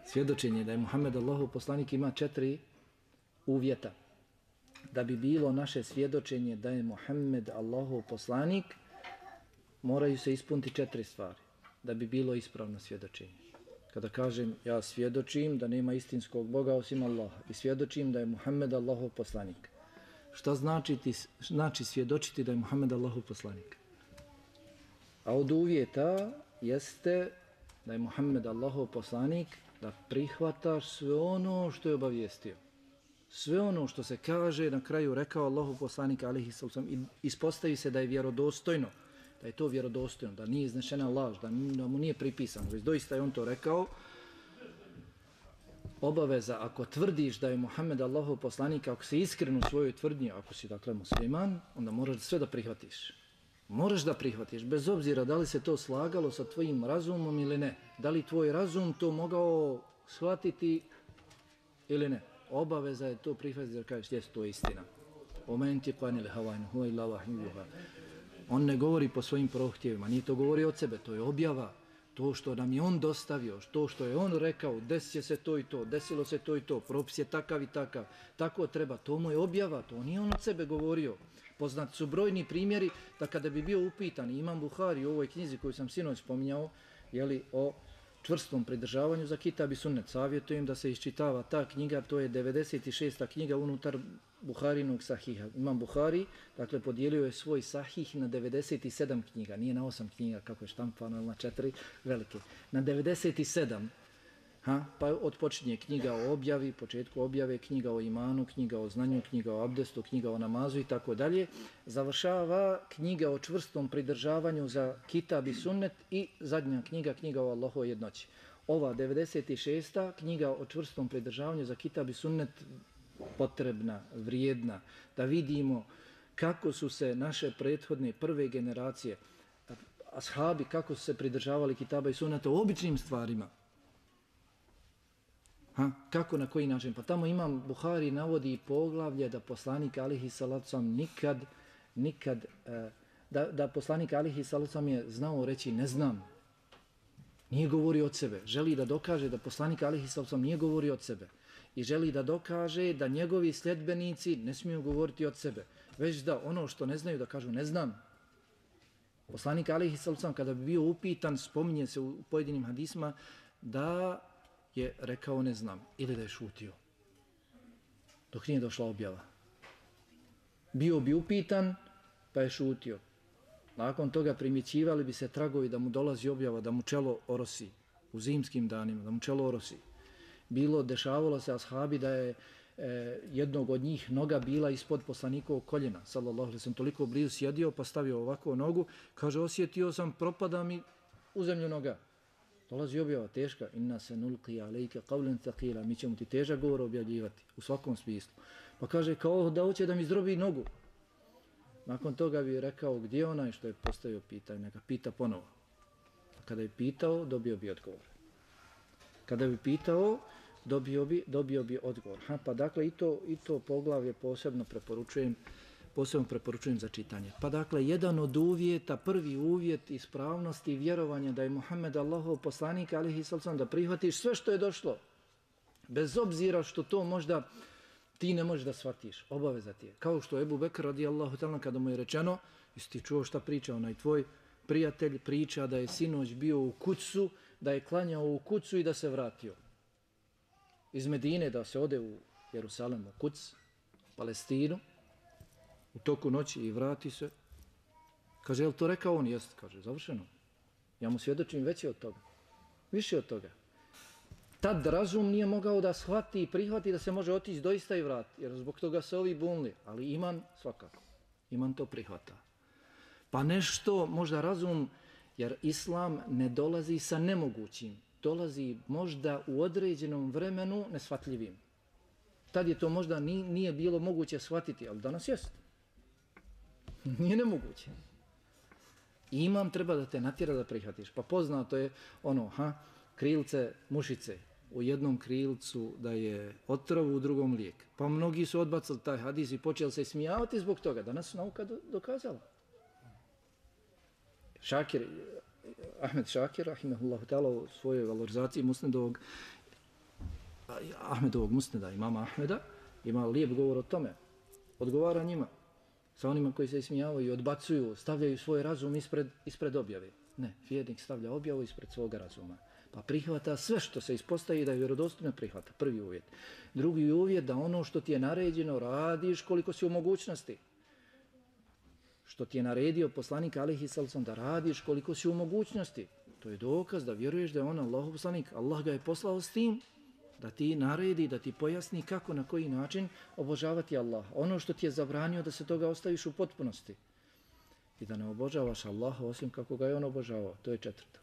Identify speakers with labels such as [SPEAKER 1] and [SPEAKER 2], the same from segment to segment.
[SPEAKER 1] Svjedočenje da je Muhammed Allahov poslanik ima 4 uvjeta. Da bi bilo naše svjedočenje da je Muhammed Allahov poslanik, moraju se ispuniti 4 stvari. Da bi bilo ispravno svjedočenje. Kada kažem ja svjedočim da nema istinskog Boga osim Allaha i svjedočim da je Muhammed Allahov poslanik. Šta znači svjedočiti da je Muhammed Allahov poslanik? A od uvjeta jeste da je Muhammed Allahov poslanik, da prihvataš sve ono što je obavijestio. Sve ono što se kaže na kraju rekao Allahov poslanik alejhi selam i ispostavi se da je vjerodostojno, da je to vjerodostojno, da nije iznešena laž, da mu nije pripisano, već doista je on to rekao. Obaveza, ako tvrdiš da je Muhammed Allahov poslanik, ako si iskren u svojoj tvrdnji, ako si dakle musliman, onda moraš sve da prihvatiš. Moraš da prihvatiš, bez obzira da li se to slagalo sa tvojim razumom ili ne. Da li tvoj razum to mogao shvatiti ili ne. Obaveza je to prihvatiti da kažeš, jes, to je istina. On ne govori po svojim prohtjevima, nije to govori od sebe, to je objava. To što nam je on dostavio, to što je on rekao, desit će se to i to, desilo se to i to, propis je takav i takav, tako treba, to mu je objava, to nije on od sebe govorio. Poznati su brojni primjeri da kada bi bio upitan Imam Buhari u ovoj knjizi koju sam sinoć spominjao, jeli, o čvrstom pridržavanju za kitab i sunnet, savjetujem da se iščitava ta knjiga, to je 96. knjiga unutar Buharinog sahiha. Imam Buhari, dakle, podijelio je svoj sahih na 97 knjiga, nije na 8 knjiga kako je štampano, na 4 velike, na 97. Pa odpočinje knjiga o objavi, početku objave, knjiga o imanu, knjiga o znanju, knjiga o abdestu, knjiga o namazu i tako dalje. Završava knjiga o čvrstom pridržavanju za kitab i sunnet i zadnja knjiga, knjiga o Allahovoj jednoći. Ova 96. knjiga o čvrstom pridržavanju za kitab i sunnet potrebna, vrijedna, da vidimo kako su se naše prethodne prve generacije, ashabi, kako su se pridržavali kitaba i sunneta u običnim stvarima. Kako, na koji način? Pa tamo Imam Buhari navodi poglavlje da poslanik alejhi salatu selam nikad da poslanik alejhi salatu selam je znao reći ne znam. Nije govorio od sebe. Želi da dokaže da poslanik alejhi salatu selam nije govorio od sebe. I želi da dokaže da njegovi sljedbenici ne smiju govoriti od sebe. Već da ono što ne znaju da kažu ne znam. Poslanik alejhi salatu selam kada bi bio upitan, spominje se u pojedinim hadisma da je rekao ne znam ili da je šutio dok nije došla objava. Bio bi upitan pa je šutio. Nakon toga primjećivali bi se tragovi da mu dolazi objava, da mu čelo orosi u zimskim danima, da mu čelo orosi. Dešavalo se ashabi da je jednog od njih noga bila ispod poslanikovog koljena, sallallahu alejhi ve sellem, toliko blizu sjedio pa stavio ovako nogu, kaže osjetio sam, propada mi u zemlju noga. Dolazi objava teška, inna se nulqi alejke qawlan thaqila, mi ćemo ti težak govor objavljivati u svakom smislu. Pa kaže kao da hoće da mi zdrobi nogu. Nakon toga bi rekao gdje je onaj što je postavio pitanje, neka pita ponovo. A kada je pitao, dobio bi odgovor. Kada bi pitao, dobio bi odgovor. Pa dakle i to poglavlje posebno preporučujem za čitanje. Pa dakle, jedan od uvjeta, prvi uvjet ispravnosti i vjerovanja da je Muhammed Allahov poslanik, alejhi selam, da prihvatiš sve što je došlo. Bez obzira što to možda ti ne možeš da shvatiš, obaveza ti je. Kao što Ebu Bekr radijallahu ta'ala kada mu je rečeno, jesi ti čuo šta priča onaj tvoj prijatelj, priča da je sinoć bio u Kucu, da je klanjao u Kucu i da se vratio. Iz Medine da se ode u Jerusalem, u Kuc, Palestinu, u toku noći i vrati se. Kaže, je li to rekao on? Jeste, kaže, završeno. Ja mu svjedočim veće od toga. Više od toga. Tad razum nije mogao da shvati i prihvati da se može otići doista i vrati. Jer zbog toga se ovi bunili. Ali iman svakako. Iman to prihvata. Pa nešto, možda razum, jer islam ne dolazi sa nemogućim. Dolazi možda u određenom vremenu neshvatljivim. Tad je to možda nije bilo moguće shvatiti, ali danas jest. Nije nemoguće. Iman treba da te natjera da prihvatiš. Pa poznato je ono, krilce mušice. U jednom krilcu da je otrov, u drugom lijek. Pa mnogi su odbacili taj hadis i počeli se smijavati zbog toga. Danas nauka dokazala. Ahmed Šakir, rahimehullahu ta'ala, u svojoj valorizaciji Musnedovog Ahmedovog musneda, imama Ahmeda, ima lijep govor o tome. Odgovara njima, sa onima koji se ismijavaju, odbacuju, stavljaju svoj razum ispred objave. Ne, vjernik stavlja objavu ispred svoga razuma. Pa prihvata sve što se ispostavi da je vjerodostojno prihvata. Prvi uvjet. Drugi uvjet da ono što ti je naređeno radiš koliko si u mogućnosti. Što ti je naredio poslanik alejhi salatu da radiš koliko si u mogućnosti. To je dokaz da vjeruješ da je on Allahov poslanik. Allah ga je poslao s tim da ti naredi, da ti pojasni kako, na koji način obožavati Allah. Ono što ti je zabranio da se toga ostaviš u potpunosti. I da ne obožavaš Allaha osim kako ga je on obožavao. To je četvrto.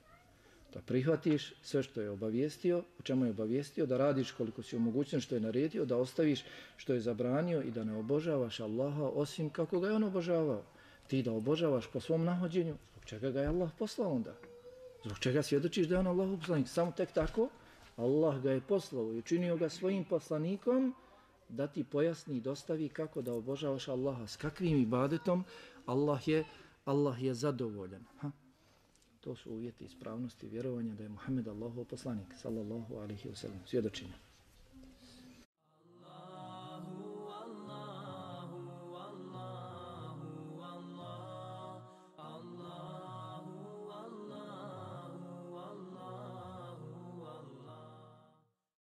[SPEAKER 1] Da prihvatiš sve što je obavijestio, o čemu je obavijestio, da radiš koliko si u mogućnosti što je naredio, da ostaviš što je zabranio i da ne obožavaš Allaha osim kako ga je on obožavao. Ti da obožavaš po svom nahođenju, zbog čega ga je Allah poslao onda? Zbog čega svjedočiš da je on Allahov poslanik? Samo tek tako Allah ga je poslao i učinio ga svojim poslanikom da ti pojasni i dostavi kako da obožavaš Allaha. S kakvim ibadetom Allah je zadovoljan. To su uvjeti ispravnosti vjerovanja da je Muhammed Allahov poslanik, sallallahu alejhi ve sellem, svjedočenje.